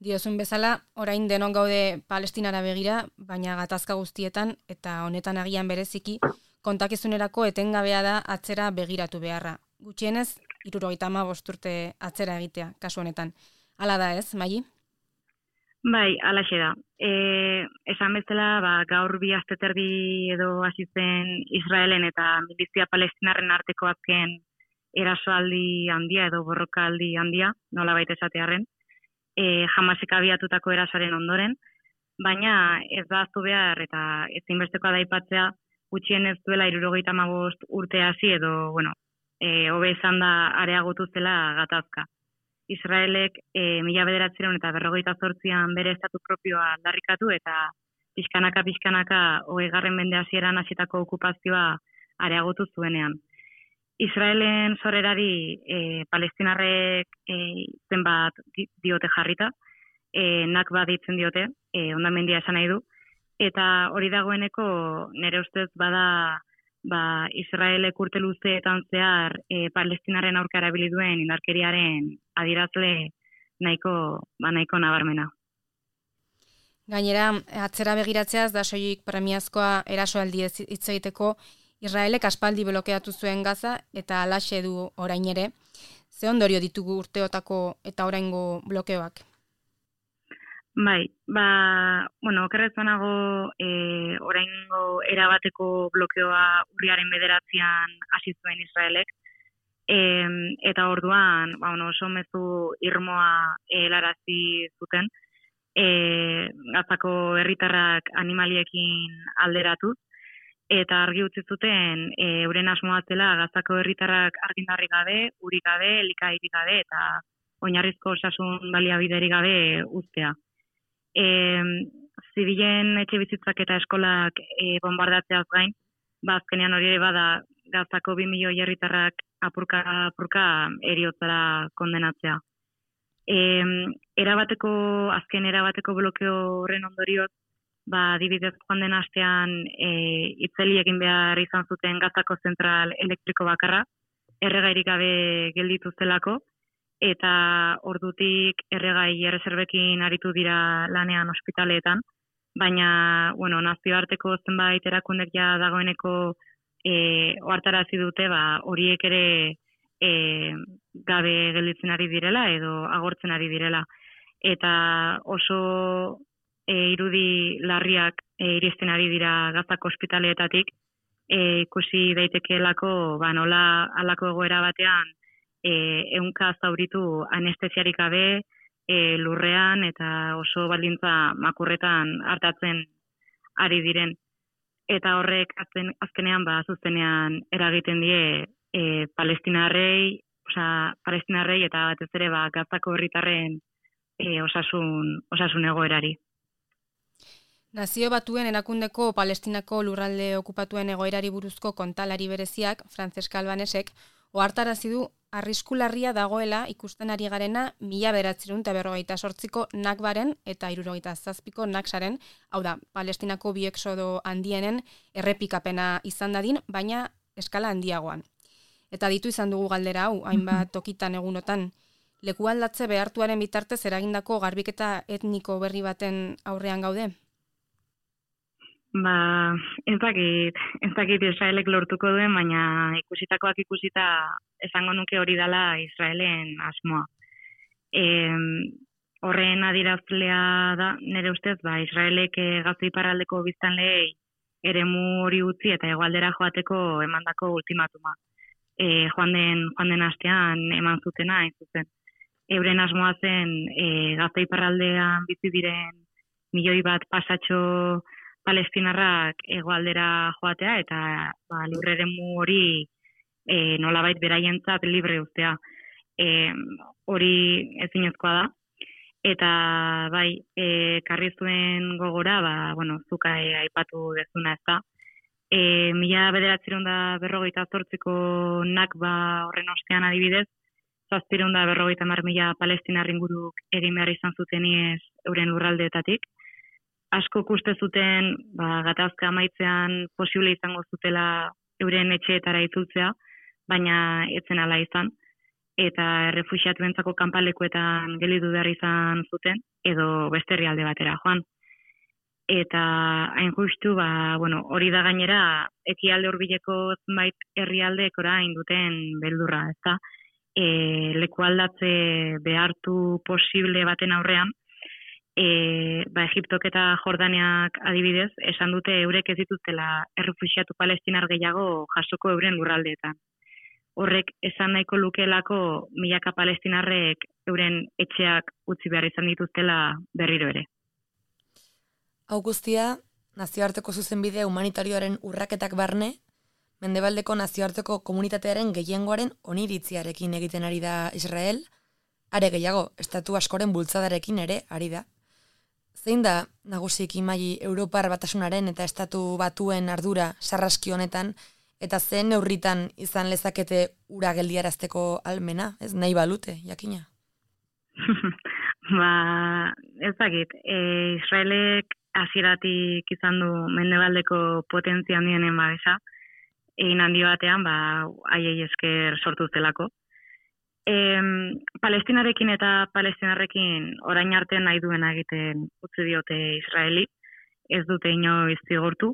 Diozun bezala, orain denon gaude Palestinara begira, baina gatazka guztietan eta honetan agian bereziki, kontakizunerako etengabea da atzera begiratu beharra. Gutxienez, hirurogeita hamabost urte atzera egitea, kasu honetan. Hala da ez, Maili? Bai, alaxe da. E, esan bezala, ba, gaur bi aste terdi edo hasi zen Israelen eta milizia palestinarren arteko azken erasoaldi handia edo borrokaldi handia, nolabait esatearren, e, Hamasek abiatutako erasoaren ondoren, baina ez da ahaztu behar eta ezinbestekoa da aipatzea gutxienez duela hirurogeita hamabost urte hasi edo, bueno, e, hobe esan da areagotu zela gatazka. Israelek e, mila bederatziehun eta berrogeita zortzian bere estatu propioa aldarrikatu eta pixkanaka pixkanaka hogeigarren mende hasieran hasitako okupazioa areagotu zuenean. Israelen sorrerari e, palestinarrek e, zenbat diote jarrita, e, nakba deitzen diote, e, hondamendia esan nahi du, eta hori dagoeneko nire ustez bada ba, Israelek urte luzeetan zehar e, palestinaren aurka erabili duen indarkeriaren adierazle nahiko, ba, nahiko nabarmena. Gainera, atzera begiratzeaz da soilik premiazkoa erasoaldi hitz egiteko Israelek aspaldi blokeatu zuen Gaza eta halaxe du orain ere. Ze ondorio ditugu urteotako eta oraingo blokeoak? Bai, ba, bueno, okerrezanago e, oraingo erabateko blokeoa urriaren bederatzian hasi zuen Israelek, e, eta orduan, ba, bueno, oso mezu irmoa helarazi zuten, e, Gazako herritarrak animaliekin alderatuz, eta argi utzi zuten e, euren asmoa zela Gazako herritarrak argindarrik gabe, urik gabe, elikagairik gabe eta oinarrizko osasun baliabiderik gabe uztea. E, zibilen etxe bizitzak eta eskolak e, bombardatzeaz gain, ba azkenean hori ere bada Gazako bi milioi herritarrak apurka apurka heriotzara kondenatzea. E, erabateko, azken erabateko blokeo horren ondorioz, ba, adibidez joan den astean e, itzeli egin behar izan zuten Gazako zentral elektriko bakarra, erregairik gabe gelditu zelako, eta ordutik erregai erreserbekin aritu dira lanean ospitaleetan, baina, bueno, nazioarteko zenbait erakundek ja dagoeneko e, ohartarazi dute, ba, horiek ere e, gabe gelditzen ari direla edo agortzen ari direla. Eta oso e, irudi larriak e, iristen ari dira Gazako ospitaleetatik, e, ikusi daitekeelako, ba, nola halako egoera batean e, ehunka zauritu anestesiarik gabe e, lurrean eta oso baldintza makurretan hartatzen ari diren. Eta horrek azken, azkenean ba, zuzenean eragiten die e, palestinarrei, osea, palestinarrei eta batez ere ba, Gazako herritarren e, osasun, osasun egoerari. Nazio Batuen erakundeko Palestinako lurralde okupatuen egoerari buruzko kontalari bereziak, Francesca Albanesek, ohartarazi du arrisku larria dagoela ikusten ari garena mila bederatziehun eta berrogeita zortziko Nakbaren eta hirurogeita zazpiko Naksaren, hau da, Palestinako bi exodo handienen errepikapena izan dadin, baina eskala handiagoan. Eta ditu izan dugu galdera hau, hainbat tokitan egunotan, leku aldatze behartuaren bitartez eragindako garbiketa etniko berri baten aurrean gaude? Ba, ez dakit, ez dakit Israelek lortuko duen, baina ikusitakoak ikusita esango nuke hori dela Israelen asmoa. E, horren adierazlea da, nire ustez, ba, Israelek Gaza iparraldeko biztanleei eremu hori utzi eta hegoaldera joateko emandako ultimatuma. E, joan den, joan den astean eman zutena, hain zuzen. Euren asmoa zen e, Gaza iparraldean bizi diren milioi bat pasatxo palestinarrak hegoaldera joatea eta ba, lurreremu hori e, nolabait beraientzat libre uztea. E, hori ezinezkoa da. Eta bai, e, karri zuen gogora, ba, bueno, zuka e, aipatu dezuna ez da. E, mila bederatziehun eta berrogeita zortziko Nakba horren ostean adibidez, zazpiehun eta berrogeita hamar mila palestinar inguruk egin behar izan zuteniez euren lurraldeetatik. Asko uste zuten ba, gatazka amaitzean posible izango zutela euren etxeetara itzultzea, baina etzen ala izan, eta errefuxiatuentzako kanpalekuetan gelditu behar izan zuten, edo beste herrialde batera joan. Eta hain justu, ba, bueno, hori da gainera, ekialde hurbileko zenbait herrialdeek orain duten beldurra, ezta? E, leku aldatze behartu posible baten aurrean, e, ba, Egiptok eta Jordaniak adibidez, esan dute eurek ez dituztela errefuxiatu palestinar gehiago jasoko euren lurraldeetan. Horrek esan nahiko lukeelako milaka palestinarrek euren etxeak utzi behar izan dituztela berriro ere. Hau guztia, nazioarteko zuzenbide humanitarioaren urraketak barne, mendebaldeko nazioarteko komunitatearen gehiengoaren oniritziarekin egiten ari da Israel, are gehiago, estatu askoren bultzadarekin ere ari da. Zein da nagusiki maili Europar Batasunaren eta estatu batuen ardura sarraski honetan, eta zen neurritan izan lezakete ura geldiarazteko almena, ez nahi balute, jakina? Ba, ez dakit, e, Israelek hasieratik izan du mendebaldeko potentzia handienen babesa, egin handi batean, ba, haiei esker sortu zelako. E, Palestinarekin eta Palestinarrekin orain arte nahi duena egiten utzi diote Israeli, ez dute inoiz zigortu,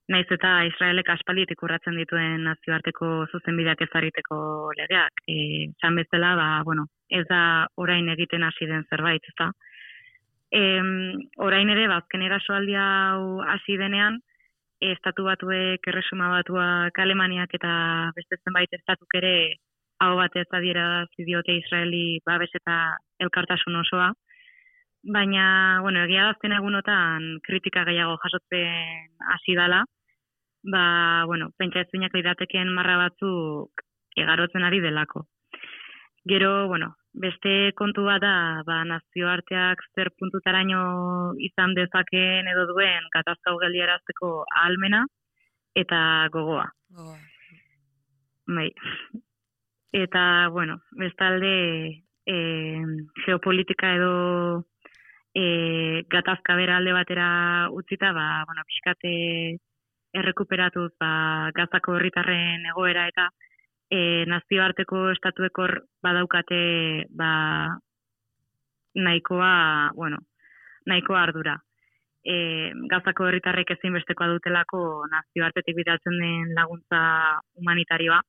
naiz eta Israelek aspalditik urratzen dituen nazioarteko zuzenbideak ezarriteko legeak. E, zan bezala, ba, bueno, ez da orain egiten hasi den zerbait, ezta? E, orain ere, bazken erasoaldi hau hasi denean, estatu batuek, erresuma batuak, Alemaniak eta beste zenbait estatuk ere hau batez adierazi diote Israeli babes eta elkartasun osoa. Baina, bueno, egia azken egunotan kritika gehiago jasotzen hasi dala, ba, bueno, pentsa ezbeinak lirateken marra batzuk egarotzen ari delako. Gero, bueno, beste kontu bat da, ba, nazioarteak zer puntutaraino izan dezakeen edo duen gatazka hau geldiarazteko ahalmena eta gogoa. Gogoa. Bai. Eta, bueno, bestalde e, geopolitika edo e, gatazka bera alde batera utzita, ba, bueno, pixkate errekuperatuz ba, Gazako herritarren egoera eta e, nazioarteko estatuekor badaukate ba, nahikoa, bueno, nahikoa ardura. E, Gazako herritarrek ezinbestekoa dutelako nazioartetik bidaltzen den laguntza humanitarioa.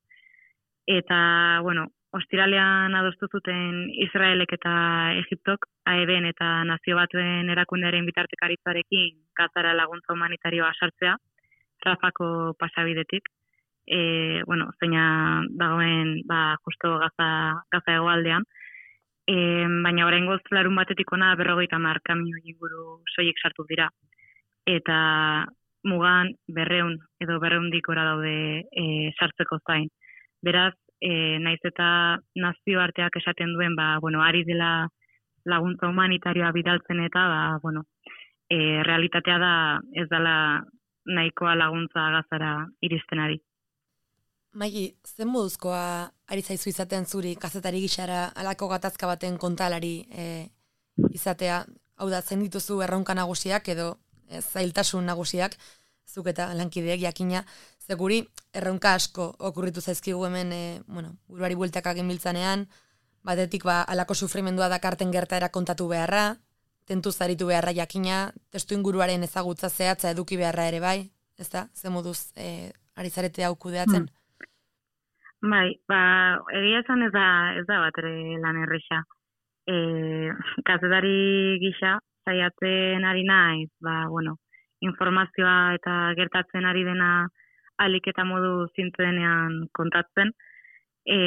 Eta, bueno, ostiralean adostu zuten Israelek eta Egiptok, A E B-en eta Nazio Batuen erakundearen bitartekaritzarekin Gazara laguntza humanitarioa sartzea, Rafako pasabidetik. E, bueno, zeina dagoen ba, justo Gaza, Gaza hegoaldean. E, baina oraingoz larun batetik ona berrogeita hamar kamioi inguru soilik sartu dira. Eta mugan berreun edo berreundik gora daude e, sartzeko zain. Beraz, e, naiz eta nazioarteak esaten duen, ba, bueno, ari dela laguntza humanitarioa bidaltzen eta, ba, bueno, e, realitatea da ez dela nahikoa laguntza Gazara iristen ari. Maili, zen moduzkoa ari zaizu izaten zuri kazetari gixara alako gatazka baten kontalari e, izatea? Hau da, zen dituzu erronka nagusiak edo e, zailtasun nagusiak, zuk eta lankideek jakina, zeguri erronka asko okurritu zaizkigu hemen, e, bueno, buruari bueltak egin biltzanean, batetik ba, alako sufrimendua dakarten gertaera kontatu beharra, tentu zaritu beharra jakina, testu inguruaren ezagutza zehatza eduki beharra ere bai, ez da? Ze moduz e, ari zarete hau kudeatzen? Hmm. Bai, ba, egia esan ez da, ez da bat ere lan erresa. E, kazetari gisa, saiatzen ari naiz, ba, bueno, informazioa eta gertatzen ari dena alik eta modu zintzenean kontatzen. E,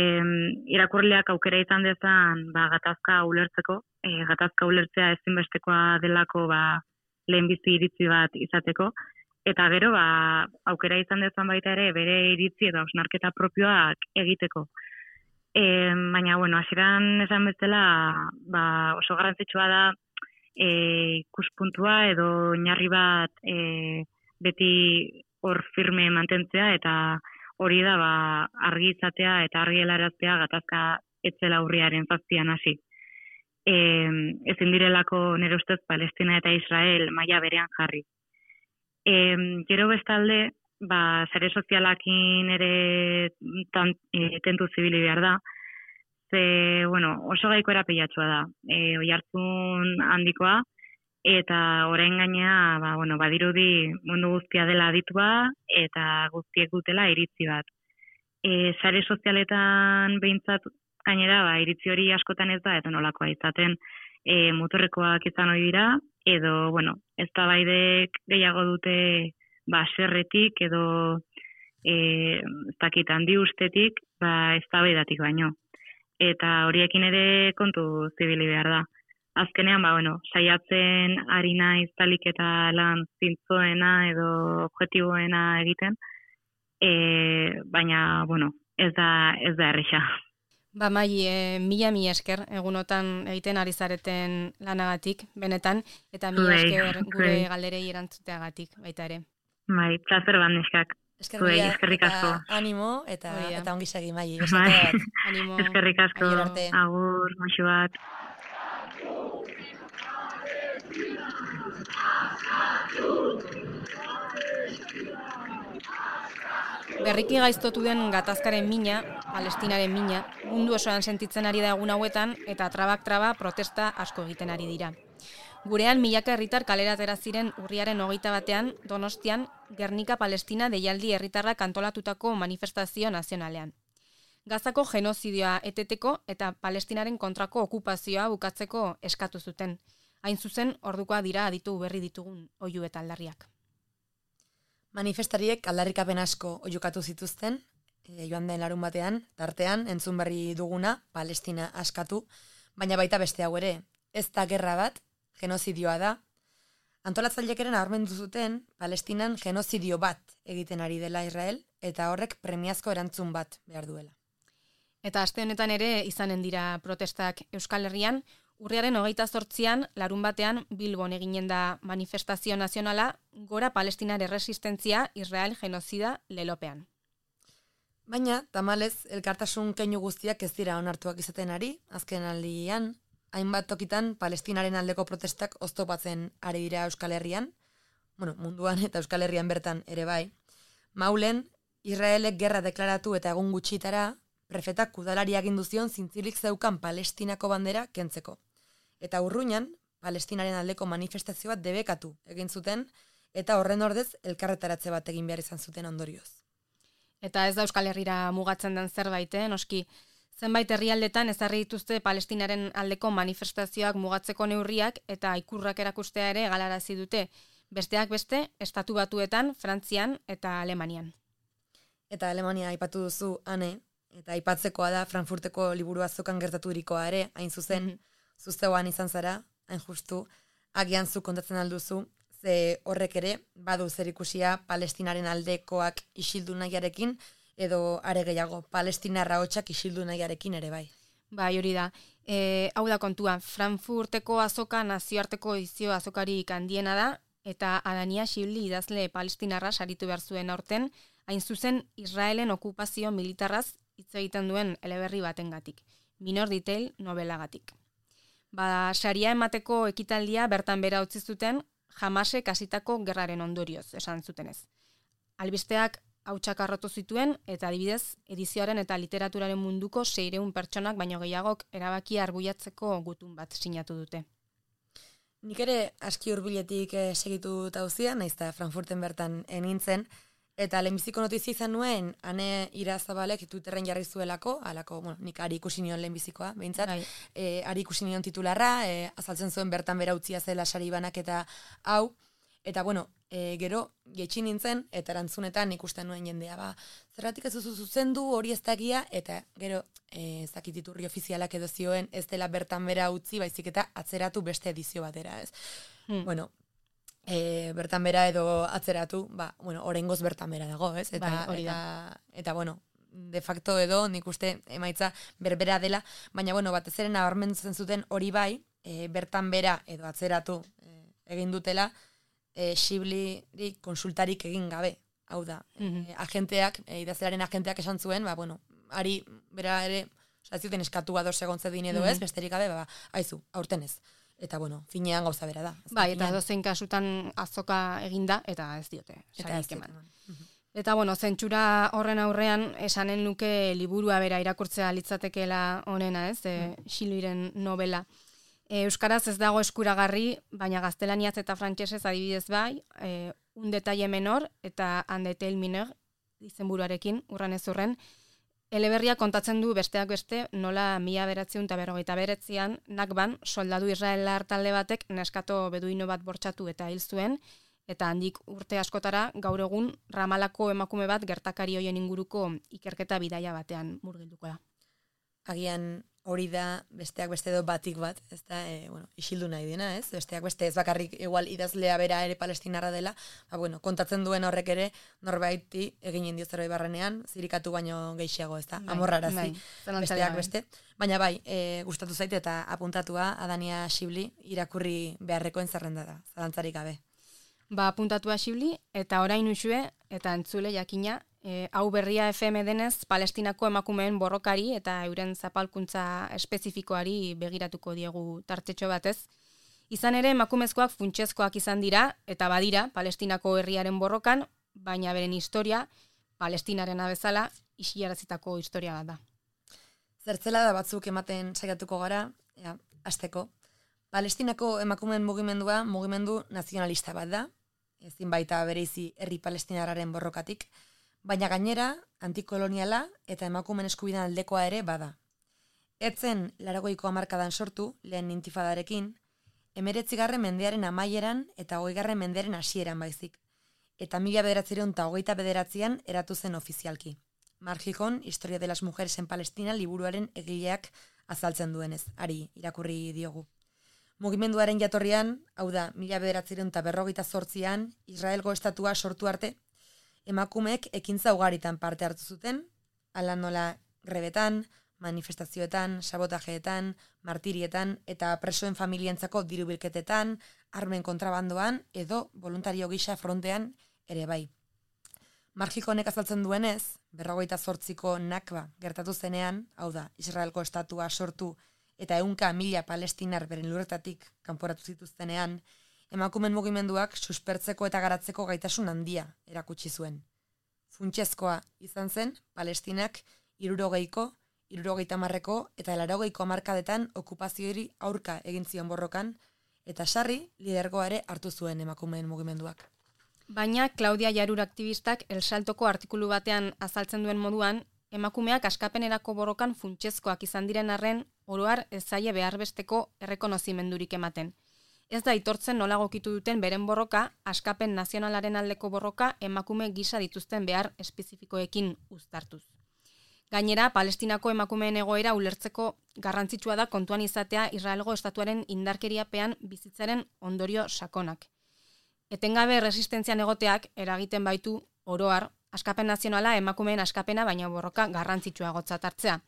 irakurleak aukera izan dezan ba, gatazka ulertzeko, e, gatazka ulertzea ezinbestekoa delako ba, lehenbizi iritzi bat izateko, eta gero ba, aukera izan dezan baita ere bere iritzi eta osnarketa propioak egiteko. E, baina, bueno, hasieran esan bezala ba, oso garrantzitsua da E, ikuspuntua edo oinarri bat e, beti hor firme mantentzea eta hori da ba, argi izatea eta argi helaraztea gatazka etzela urriaren zazpian hasi. e, ezin direlako nire ustez Palestina eta Israel maila berean jarri. E, gero bestalde, ba, sare sozialakin ere tan, e, tentu zibili behar da, ze, bueno, oso gaiko erapilatxua da, e, oihartzun handikoa, eta orain gainea, ba, bueno, badirudi mundu guztia dela aditua, eta guztiek dutela iritzi bat. E, sare sozialetan behintzat gainera, ba, iritzi hori askotan ez da, eta nolakoa izaten e, motorrekoak izan hori dira, edo, bueno, ez da baidek gehiago dute ba, serretik, edo e, ez dakit handi ustetik, ba, ez da baidatik baino. Eta horiekin ere kontu zibili behar da. Azkenean, ba, bueno, saiatzen ari naiz talik eta lan zintzoena edo objektiboena egiten, e, baina, bueno, ez da, ez da erresa. Ba, Mai, e, mila mi esker, egunotan egiten ari zareten lanagatik, benetan, eta mila esker gure galderei erantzuteagatik, baita ere. Bai, plazer bat neskak. Eskerrik asko. Animo, eta, eta ongi segi, Mai. Animo. Eskerrik asko. Agur, moxu bat. Berriki gaiztotu den gatazkaren mina, Palestinaren mina, mundu osoan sentitzen ari da egun hauetan eta trabak traba protesta asko egiten ari dira. Gurean milaka herritar kalera atera ziren urriaren hogeita batean, Donostian, Gernika Palestina deialdi herritarrak antolatutako manifestazio nazionalean. Gazako genozidioa eteteko eta Palestinaren kontrako okupazioa bukatzeko eskatu zuten. Hain zuzen, ordukoa dira aditu berri ditugun oihu eta aldarriak. Manifestariek aldarrikapen asko oiukatu zituzten, e, joan den larun batean, tartean, entzun berri duguna, Palestina askatu, baina baita beste hau ere, ez da gerra bat, genozidioa da. Antolatzaileekeren nabarmendu zuten, Palestinan genozidio bat egiten ari dela Israel, eta horrek premiazko erantzun bat behar duela. Eta aste honetan ere izanen dira protestak Euskal Herrian, urriaren hogeita zortzian, larun batean, Bilbon eginen da manifestazio nazionala, gora Palestinar erresistentzia Israel genozida lelopean. Baina, tamalez, elkartasun keinu guztiak ez dira onartuak izaten ari, azken aldian, hainbat tokitan Palestinaren aldeko protestak oztopatzen ari dira Euskal Herrian, bueno, munduan eta Euskal Herrian bertan ere bai. Maulen, Israelek gerra deklaratu eta egun gutxitara, prefetak udalari agindu zion zintzilik zeukan Palestinako bandera kentzeko. Eta Urruñan, Palestinaren aldeko manifestazio bat debekatu egin zuten, eta horren ordez elkarretaratze bat egin behar izan zuten ondorioz. Eta ez da Euskal Herrira mugatzen den zerbait, eh? Noski, zenbait herrialdetan ezarri dituzte Palestinaren aldeko manifestazioak mugatzeko neurriak eta ikurrak erakustea ere galarazi dute, besteak beste, Estatu Batuetan, Frantzian eta Alemanian. Eta Alemania aipatu duzu, ane, eta aipatzekoa da Frankfurteko liburu azokan gertaturikoa ere, hain zuzen, mm-hmm. Zuzeuan izan zara, hain justu, agian zu kontatzen alduzu, ze horrek ere, badu zer ikusia Palestinaren aldekoak isildu nahiarekin, edo are gehiago, Palestinarra hotxak isildu nahiarekin ere bai. Bai, hori da. E, hau da kontua, Frankfurteko azoka nazioarteko edizio azokarik handiena da, eta Adania Xibli idazle Palestinarra saritu behar zuen aurten, hain zuzen Israelen okupazio militarraz hitz egiten duen eleberri batengatik, Minor Detail nobelagatik. Ba, saria emateko ekitaldia bertan bera utzi zuten, Hamasek hasitako gerraren ondorioz, esan zutenez. Albisteak hautsak arrotu zituen, eta adibidez, edizioaren eta literaturaren munduko seiehun pertsonak baino gehiagok erabakia arbuiatzeko gutun bat sinatu dute. Nik ere aski hurbiletik eh, segitu tauzia, naiz eta Frankfurten bertan enintzen, eta lehenbiziko notizia izan nuen, Ane Irazabalek Twitterren jarri zuelako, alako, bueno, nik ari ikusi nion lehenbizikoa, behintzat, e, ari ikusi nion titularra, e, azaltzen zuen bertan bera utzia zela sari banak eta hau, eta bueno, e, gero, getxin nintzen, eta erantzunetan ikusten nuen jendea, ba, zerratik ez duzu zuzendu hori ez dakia, eta gero, e, ez dakit iturri ofizialak edo zioen, ez dela bertan bera utzi, baizik eta atzeratu beste edizio batera, ez. Hmm. Bueno, E, bertan bera edo atzeratu, ba, bueno, oraingoz bertan bera dago, ez? Eta, bai, hori da. eta, eta, bueno, de facto edo, nik uste emaitza berbera dela, baina, bueno, batez ere nabarmentzen zuten hori bai, e, bertan bera edo atzeratu e, egin dutela, e, Xibli konsultarik egin gabe, hau da. Mm-hmm. E, agenteak, e, idazlearen agenteak esan zuen, ba, bueno, ari bera ere Osa, ez zuten eskatu ados egon zedin edo ez, besterik gabe, ba, aizu, aurten ez. Eta, bueno, finean gauza bera da. Bai, eta dozein kasutan azoka eginda, eta ez diote. Eta ez eman. diote. Eta, bueno, zentsura horren aurrean, esanen nuke liburua bera irakurtzea litzatekeela honena, ez, e, Xiluiren novela. E, Euskaraz ez dago eskuragarri, baina gaztelaniaz eta frantsesez adibidez bai, e, un detalle menor eta un detail mineur izenburuarekin, urran ez urren, eleberria kontatzen du besteak beste nola mila beratziun eta berrogeita beretzian Nakban soldadu israelar talde batek neskato beduino bat bortxatu eta hil zuen, eta handik urte askotara gaur egun Ramalako emakume bat gertakari hoien inguruko ikerketa bidaia batean murgilduko da. Agian hori da besteak beste edo batik bat, ez da, e, bueno, isildu nahi dena, ez? Besteak beste ez bakarrik igual idazlea bera ere palestinarra dela, ba, bueno, kontatzen duen horrek ere norbaiti eginen dio zerbait barrenean, zirikatu baino gehiago, ez da, amorrarazi, bai, besteak beste. Baina bai, e, gustatu zaite eta apuntatua Adania Xibli irakurri beharrekoen zerrenda da, zalantzarik gabe. Ba, apuntatua Xibli, eta orain usue, eta entzule jakina, E, hau berria F M denez, Palestinako emakumeen borrokari eta euren zapalkuntza espezifikoari begiratuko diegu tartetxo batez. Izan ere, emakumezkoak funtsezkoak izan dira, eta badira, Palestinako herriaren borrokan, baina beren historia, Palestinarena bezala, isilarazitako historia bat da. Zertzela da batzuk ematen saiatuko gara, ja, hasteko. Palestinako emakumeen mugimendua mugimendu nazionalista bat da, ezin baita bereizi herri palestinarraren borrokatik, baina gainera, antikoloniala eta emakumen eskubideen aldekoa ere bada. Etzen laurogeiko hamarkadan sortu, lehen intifadarekin, hemeretzigarren mendearen amaieran eta hogeigarren mendearen hasieran baizik, eta mila bederatziehun eta hogeita bederatzian eratu zen ofizialki. Marjikon, Historia de las Mujeres en Palestina liburuaren egileak azaltzen duenez, ari irakurri diogu. Mugimenduaren jatorrian, hau da, mila bederatziehun eta berrogeita zortzian, Israelgo estatua sortu arte, emakumeek ekintza ugaritan parte hartu zuten, hala nola grebetan, manifestazioetan, sabotajeetan, martirietan eta presoen familientzako dirubilketetan, armen kontrabandoan edo voluntario gisa frontean ere bai. Marjiko honek azaltzen duenez, berrogeita zortziko Nakba gertatu zenean, hau da, Israelko estatua sortu eta ehunka mila palestinar beren lurretatik kanporatu zituztenean, emakumen mugimenduak suspertzeko eta garatzeko gaitasun handia erakutsi zuen. Funtsezkoa izan zen, Palestinak hirurogeiko, hirurogeita hamarreko eta laurogeiko hamarkadetan okupazioari aurka egin zion borrokan, eta sarri lidergoa ere hartu zuen emakumeen mugimenduak. Baina Claudia Jarur aktivistak El Saltoko artikulu batean azaltzen duen moduan, emakumeak askapenerako borrokan funtsezkoak izan diren arren, oroar ez zaie behar besteko errekonozimendurik ematen. Ez da aitortzen nola gokitu duten beren borroka, askapen nazionalaren aldeko borroka emakume gisa dituzten behar espezifikoekin uztartuz. Gainera, Palestinako emakumeen egoera ulertzeko garrantzitsua da kontuan izatea Israelgo estatuaren indarkeriapean bizitzaren ondorio sakonak. Etengabe resistentzian egoteak eragiten baitu oroar, askapen nazionala emakumeen askapena baina borroka garrantzitsua gotzat hartzea.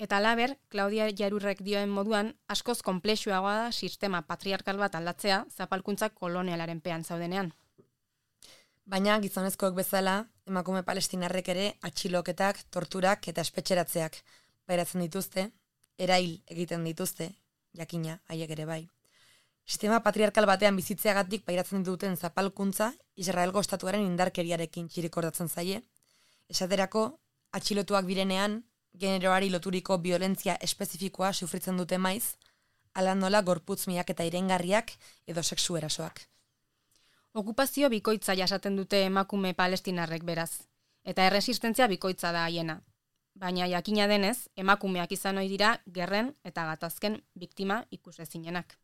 Eta laber, Claudia Jarurrek dioen moduan, askoz konplexuagoa da sistema patriarkal bat aldatzea zapalkuntza kolonialaren pean zaudenean. Baina gizonezkoek bezala, emakume palestinarrek ere atxiloketak, torturak eta espetxeratzeak pairatzen dituzte, erail egiten dituzte, jakina, haiek ere bai. Sistema patriarkal batean bizitzeagatik pairatzen duten zapalkuntza Israelgo estatuaren indarkeriarekin txirikordatzen zaie, esaterako atxilotuak birenean, generoari loturiko violentzia espezifikoa sufritzen dute maiz, ala nola gorputz miaketa irengarriak edo sexu erasoak. Okupazio bikoitza jasaten dute emakume palestinarrek beraz, eta erresistentzia bikoitza da haiena. Baina jakina denez, emakumeak izan ohi dira gerren eta gatazken biktima ikusezinenak.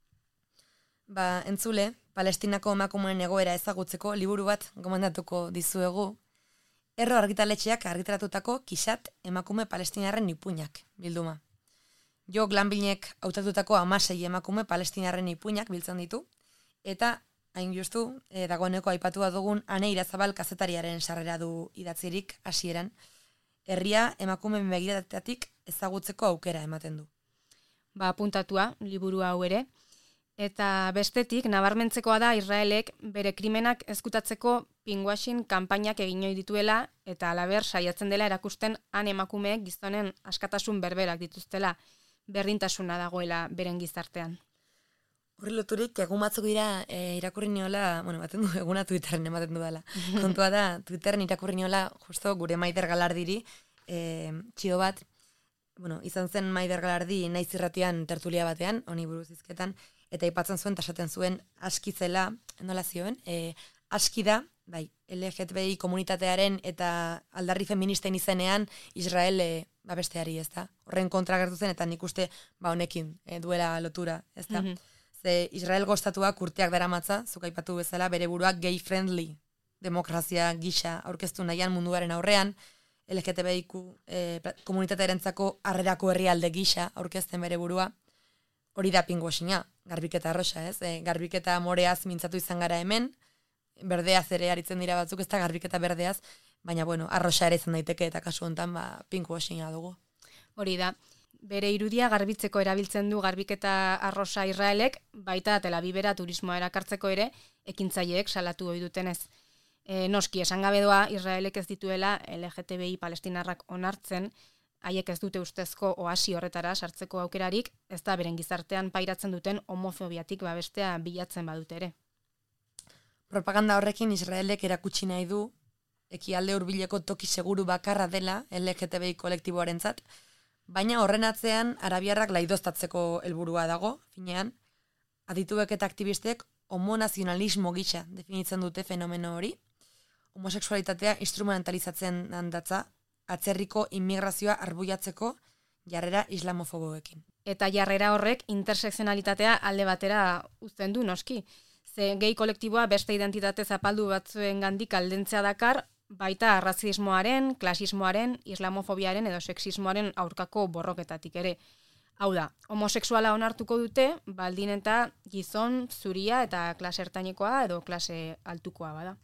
Ba, entzule, Palestinako emakumeen egoera ezagutzeko liburu bat gomendatuko dizuegu, Erro argitaletxeak argitaratutako Kisat emakume palestinarren ipuinak bilduma. Jo Glanbilnek hautatutako hamasei emakume palestinarren ipuinak biltzen ditu, eta hain justu, e, dagoeneko aipatua dugun Ane Irazabal kazetariaren sarrera du idatzirik hasieran, herria emakumeen begiratatik ezagutzeko aukera ematen du. Ba, apuntatua, liburu hau ere, Eta bestetik, nabarmentzekoa da Israelek bere krimenak ezkutatzeko pinkwashing kanpainak egin ohi dituela eta halaber saiatzen dela erakusten han emakumeek gizonen askatasun berberak dituztela, berdintasuna dagoela beren gizartean. Horri loturik, egun batzuk dira e, irakurri niola, bueno, baten du eguna Twitterren ematen du dela. Kontua da, Twitterren irakurri niola, justo gure Maider Galardiri, e, txio bat, bueno, izan zen Maider Galardi naiz irratian tertulia batean, honi buruz hizketan, eta aipatzen zuen, tasaten zuen, aski zela, nola zioen, e, aski da, bai, L G B T I komunitatearen eta aldarri feministen izenean Israel e, babesteari, ez da? Horren kontra gertu zen, eta nik uste, ba, honekin e, duela lotura, ez da? Mm-hmm. Ze Israel gostatuak urteak daramatza, zuk aipatu bezala, bere buruak gay-friendly demokrazia gisa aurkeztu nahian munduaren aurrean, L G B T I e, komunitatearentzako harrerako herrialde gisa aurkezten bere burua, hori da pinkwashinga, garbiketa arrosa, ez? E, garbiketa moreaz mintzatu izan gara hemen, berdeaz ere aritzen dira batzuk, ez da garbiketa berdeaz, baina bueno, arrosa ere izan daiteke eta kasu honetan ba, pinkwashinga dugu. Hori da, bere irudia garbitzeko erabiltzen du garbiketa arrosa Israelek, baita Tel Avivera turismoa erakartzeko ere, ekintzaileek salatu ohi dutenez. E, noski, esan gabe doa, Israelek ez dituela L G B T I palestinarrak onartzen, haiek ez dute ustezko oasi horretara sartzeko aukerarik, ez da beren gizartean pairatzen duten homofobiatik babestea bilatzen badute ere. Propaganda horrekin Israelek erakutsi nahi du, ekialde hurbileko toki seguru bakarra dela L G B T I kolektiboarentzat, baina horren atzean arabiarrak laidoztatzeko helburua dago, finean, adituek eta aktivistek homonazionalismo gisa definitzen dute fenomeno hori, homosexualitatea instrumentalizatzen handatza, atzerriko immigrazioa arbuiatzeko jarrera islamofoboekin. Eta jarrera horrek intersekzionalitatea alde batera uzten du noski. Ze gay kolektiboa beste identitate zapaldu batzuen gandik aldentzea dakar, baita arrazismoaren, klasismoaren, islamofobiaren edo sexismoaren aurkako borroketatik ere. Hau da, homosexuala onartuko dute, baldin eta gizon, zuria eta klase ertainekoa edo klase altukoa bada.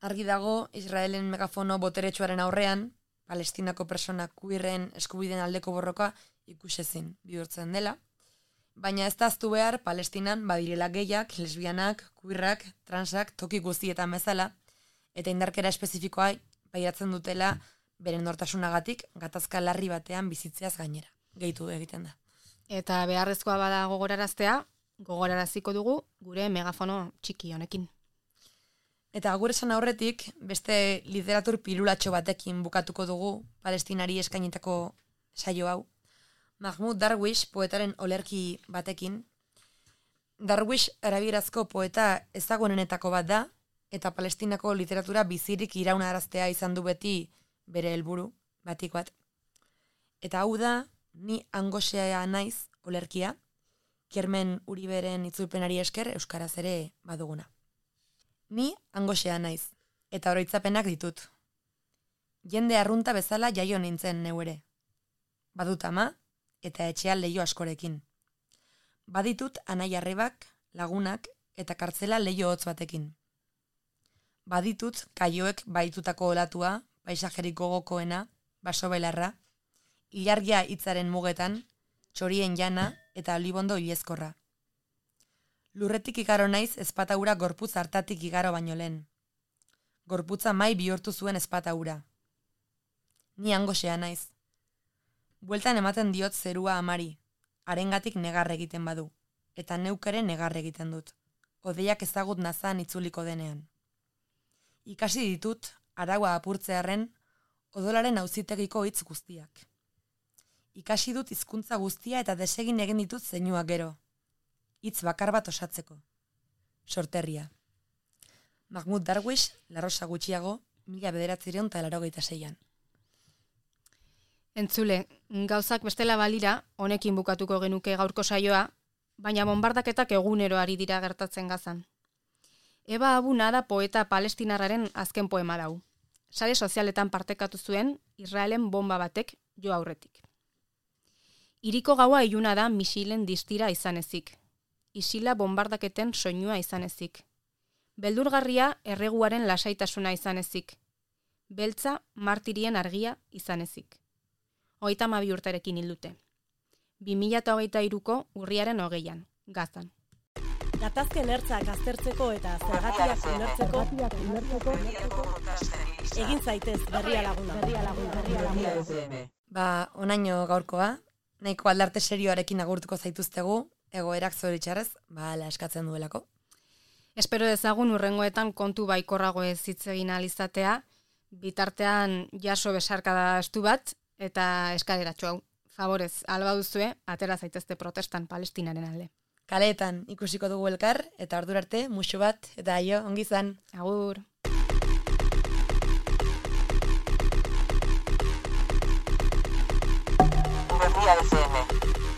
Argi dago, Israelen megafono boteretsuaren aurrean, Palestinako persona queerren eskubideen aldeko borroka ikusezin bihurtzen dela, baina ez da ahaztu behar Palestinan badirela gehiak, lesbianak, queerrak, transak, toki guztietan bezala, eta indarkera espezifikoa pairatzen dutela beren nortasunagatik gatazka larri batean bizitzeaz gainera. Gehitu egiten da. Eta beharrezkoa bada gogoraraztea, gogoraraziko dugu gure megafono txiki honekin. Eta agur esan aurretik, beste literatur pilulatxo batekin bukatuko dugu Palestinari eskainitako saio hau. Mahmoud Darwish poetaren olerki batekin. Darwish arabierazko poeta ezagunenetako bat da, eta Palestinako literatura bizirik iraunaraztea izan du beti bere helburu batik bat. Eta hau da, Ni angosea naiz olerkia, Kermen Uriberen itzulpenari esker euskaraz ere baduguna. Ni angosea naiz, eta oroitzapenak ditut. Jende arrunta bezala jaio nintzen neu ere. Badut ama, eta etxean leio askorekin. Baditut anai arrebak, lagunak, eta kartzela leio hotz batekin. Baditut kaioek baitutako olatua, paisajerik gogokoena, baso belarra, ilargia hitzaren mugetan, txorien jana eta olibondo ilezkorra. Lurretik igaro naiz ezpataura gorputz hartatik igaro baino lehen. Gorputza mai bihurtu zuen ezpataura. Ni angosea naiz. Bueltan ematen diot zerua amari, harengatik negar egiten badu, eta neukere negar egiten dut, odeiak ezagut nazan itzuliko denean. Ikasi ditut, araua apurtzearren, odolaren auzitegiko hitz guztiak. Ikasi dut hizkuntza guztia eta desegin egin ditut zeinuak gero. Hitz bakar bat osatzeko. Sorterria. Mahmoud Darwish, La Rosa gutxiago, mila bederatziehun eta laurogeita seian. Entzule, gauzak bestela balira, honekin bukatuko genuke gaurko saioa, baina bonbardaketak egunero ari dira gertatzen Gazan. Eba Abuna da poeta palestinarraren azken poema dau. Sare sozialetan partekatu zuen Israelen bomba batek jo aurretik. Iriko gaua iluna da misilen distira izan ezik. Isila bombardaketen soinua izan ezik. Beldurgarria erreguaren lasaitasuna izan ezik. Beltza martirien argia izan ezik. Hogeita hamabi urterekin hildute. bi mila hogeita hiruko urriaren hogeian. Gaztan. Gatazken ertzak aztertzeko eta zergatiak ulertzeko egin zaitez berria laguna. Berria laguna. Berria laguna. Ba, onaino gaurkoa, nahiko aldarte serioarekin agurtuko zaituztegu, egoerak zoritxarrez, ba, ala eskatzen duelako. Espero dezagun urrengoetan kontu baikorrago ez hitz egin ahal izatea, bitartean jaso besarkada estu bat, eta eskaleratxo hau. Favorez, alba duzue, atera zaitezte protestan Palestinaren alde. Kaleetan ikusiko dugu elkar, eta ordura arte, musu bat, eta aio, ongi izan. Agur. Berria F M.